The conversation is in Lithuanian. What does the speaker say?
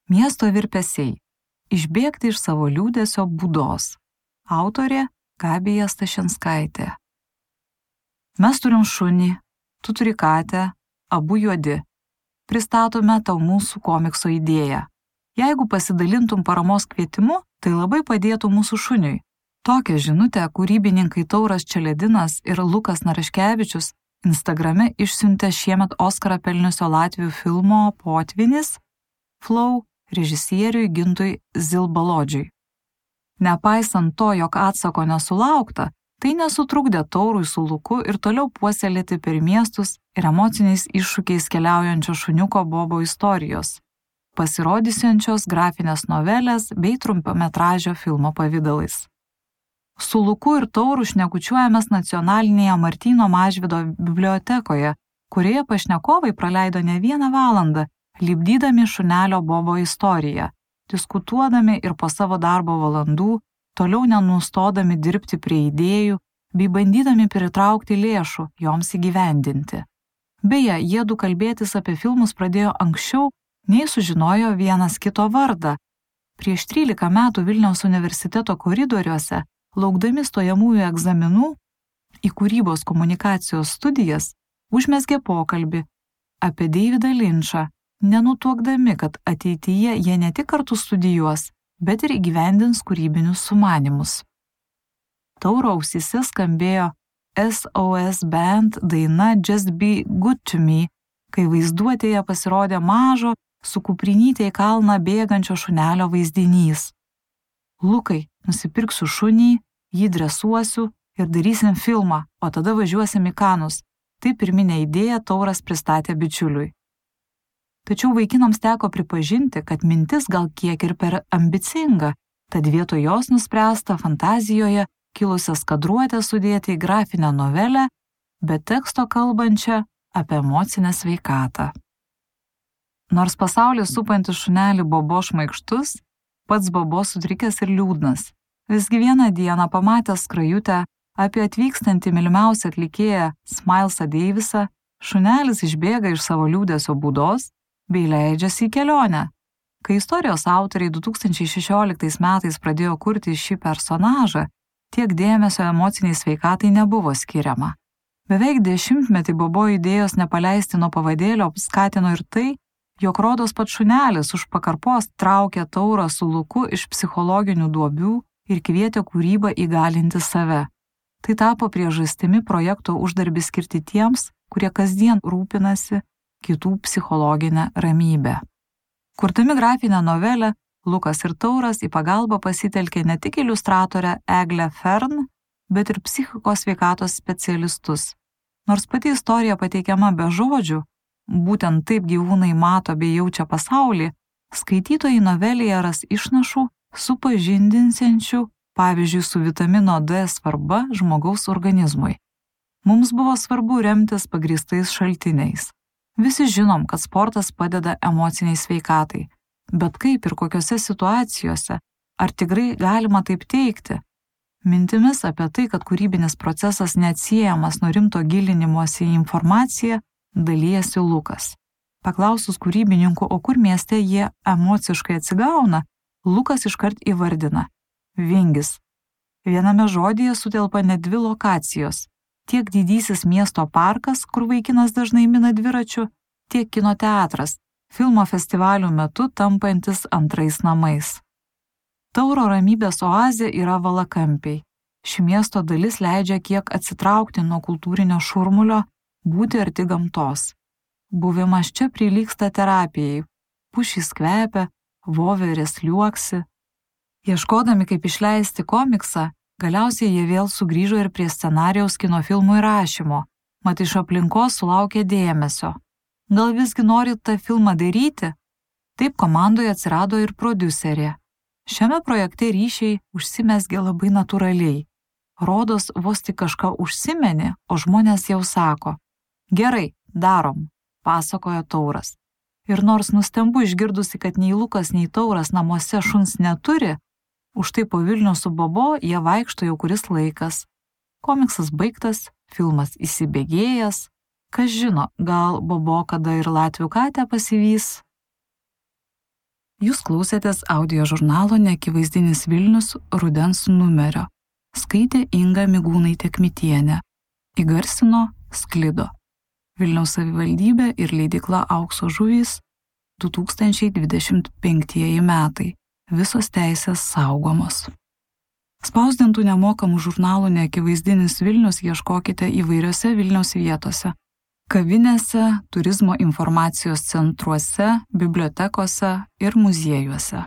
Miesto virpesiai. Išbėgti iš savo liūdesio būdos. Autorė Gabija Stašinskaitė. Mes turim šunį, tu turi katę, abu juodi. Pristatome tau mūsų komikso idėją. Jeigu pasidalintum paramos kvietimu, tai labai padėtų mūsų šuniui. Tokią žinutę kūrybininkai Tauras Čeledinas ir Lukas Naraškevičius Instagrame išsiuntė šiemet Oskarą pelniusio latvių filmo Potvynis Flow režisieriui Gintui Zilbalodžiui. Nepaisant to, jog atsako nesulaukta, tai nesutrukdė Taurui su Luku ir toliau puoselėti per miestus ir emociniais iššūkiais keliaujančio šuniuko Bobo istorijos, pasirodysiančios grafinės novelės bei trumpametražio filmo pavidalais. Su Luku ir Tauru šnekučiuojamės nacionalinėje Martyno Mažvydo bibliotekoje, kurioje pašnekovai praleido ne 1 valandą, lipdydami šunelio Bobo istoriją, diskutuodami ir po savo darbo valandų, toliau nenustodami dirbti prie idėjų, bei bandydami pritraukti lėšų joms įgyvendinti. Beje, jiedu kalbėtis apie filmus pradėjo anksčiau, nei sužinojo vienas kito vardą. Prieš 13 metų Vilniaus universiteto koridoriuose, laukdami stojamųjų egzaminų į kūrybos komunikacijos studijas, užmezgė pokalbį apie Davidą Linčą, nenutuokdami, kad ateityje jie ne tik kartu studijuos, bet ir įgyvendins kūrybinius sumanymus. Tauro ausyse skambėjo SOS Band daina Just Be Good to Me, kai vaizduotėje pasirodė mažo, su kuprinytė į kalną bėgančio šunelio vaizdinys. Lukai, nusipirksiu šunį, jį dresuosiu ir darysim filmą, o tada važiuosim į Kanus. Tai pirminė idėja Tauras pristatė bičiuliui. Tačiau vaikinams teko pripažinti, kad mintis gal kiek ir per ambicinga, tad vietoj jos nuspręsta fantazijoje kilusias kadruotę sudėti į grafinę novelę, be teksto kalbančią apie emocinę sveikatą. Nors pasaulis supantis šunelį Bobo šmaikštus, pats Bobo sutrikęs ir liūdnas. Visgi vieną dieną pamatęs skrajutę apie atvykstantį mylimiausią atlikėją Smilesą Davisą, šunelis išbėga iš savo liūdesio būdos bei leidžiasi į kelionę. Kai istorijos autoriai 2016 metais pradėjo kurti šį personažą, tiek dėmesio emociniai sveikatai nebuvo skiriama. Beveik 10 metį Bobo idėjos nepaleisti nuo pavadėlio skatino ir tai, jog rodos pats šunelis už pakarpos traukė Taurą su Luku iš psichologinių duobių ir kvietė kūrybą įgalinti save. Tai tapo priežastimi projekto uždarbį skirti tiems, kurie kasdien rūpinasi kitų psichologinę ramybę. Kurdami grafinę novelę, Lukas ir Tauras į pagalbą pasitelkė ne tik iliustratorę Eglę Fern, bet ir psichikos sveikatos specialistus. Nors pati istorija pateikiama be žodžių, būtent taip gyvūnai mato bei jaučia pasaulį, skaitytojai novelėje ras išnašų supažindinsiančių, pavyzdžiui, su vitamino D svarba žmogaus organizmui. Mums buvo svarbu remtis pagrįstais šaltiniais. Visi žinom, kad sportas padeda emociniai sveikatai, bet kaip ir kokiose situacijose, ar tikrai galima taip teigti? Mintimis apie tai, kad kūrybinis procesas neatsiejamas nuo rimto gilinimosi į informaciją, dalijasi Lukas. Paklausus kūrybininkų, o kur mieste jie emociškai atsigauna, Lukas iškart įvardina – Vingis. Viename žodyje sutelpa net 2 lokacijos – tiek didysis miesto parkas, kur vaikinas dažnai mina dviračiu, tiek kino teatras, filmo festivalių metu tampantis antrais namais. Tauro ramybės oazė yra Valakampiai. Ši miesto dalis leidžia kiek atsitraukti nuo kultūrinio šurmulio, būti arti gamtos. Buvimas čia prilygsta terapijai. Pušys kvepia, voverės liuoksi. Ieškodami, kaip išleisti komiksą, galiausiai jie vėl sugrįžo ir prie scenarijaus kino filmų įrašymo, mat iš aplinkos sulaukė dėmesio. Gal visgi norit tą filmą daryti? Taip komandoje atsirado ir prodiuserė. Šiame projekte ryšiai užsimezgė labai natūraliai. Rodos, vos tik kažką užsimenė, o žmonės jau sako: gerai, darom, pasakojo Tauras. Ir nors nustembu išgirdusi, kad nei Lukas, nei Tauras namuose šuns neturi, už tai po Vilnių su Bobo jie vaikšto jau kuris laikas. Komiksas baigtas, filmas įsibėgėjęs, kas žino, gal Bobo kada ir latvių katę pasivys. Jūs klausėtės audio žurnalo Neakivaizdinis Vilnius rudens numerio. Skaitė Inga Migūnaitė-Kmitienė. Įgarsino Sklido. Vilniaus savivaldybė ir leidykla Aukso žuvys 2025 metai. Visos teisės saugomos. Spausdintų nemokamų žurnalų Neakivaizdinis Vilnius ieškokite įvairiose Vilniaus vietose. Kavinėse, turizmo informacijos centruose, bibliotekose ir muziejuose.